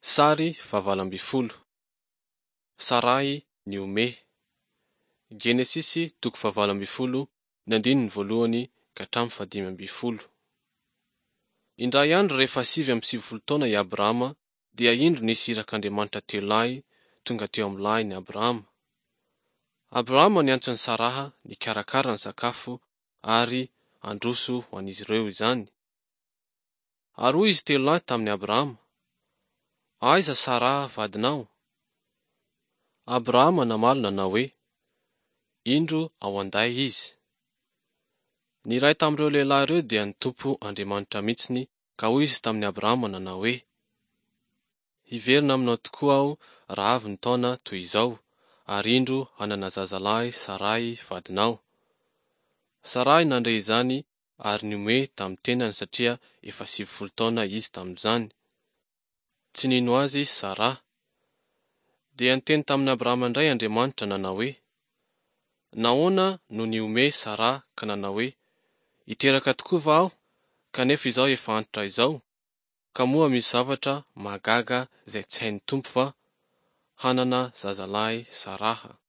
Sary faha-18. Saray nihomehy. Genesisy toko faha-18 ny andininy voalohany ka hatramin'ny faha-15. Indray andro rehefa 99 taona i Abrahama dia indro nisy irak'Andriamanitra telo lahy tonga teo amin'ny lahin'i Abrahama. Abrahama niantso an'i Saraha nikarakara ny sakafo ary handroso ho an'izy ireo izany. Ary hoy izy telo lahy tamin'i Abrahama, Aiza Saraha vadinao? Abrahama namaly nanao hoe, Indro ao an-day izy. Ny iray tamin'ireo lehilahy ireo dia ny Tompo Andriamanitra mihitsiny ka hoy izy tamin'i Abrahama nanao hoe, Hiverina aminao tokoa aho raha avy ny taona toy izao, ary indro hanana zazalahy Saray vadinao. Saray nandre izany ary nihomehy tamin'ny tenany satria efa 90 taona izy tamin'izany. Tsy nino azy Saraha. Dia niteny tamin'i Abrahama indray Andriamanitra nanao hoe, Nahoana no nihomehy Saraha ka nanao hoe, Hiteraka tokoa va aho, kanefa izao efa antitra izao? Ka moa misy zavatra mahagaga izay tsy hain'ny Tompo va? Hanana zazalahy Saraha.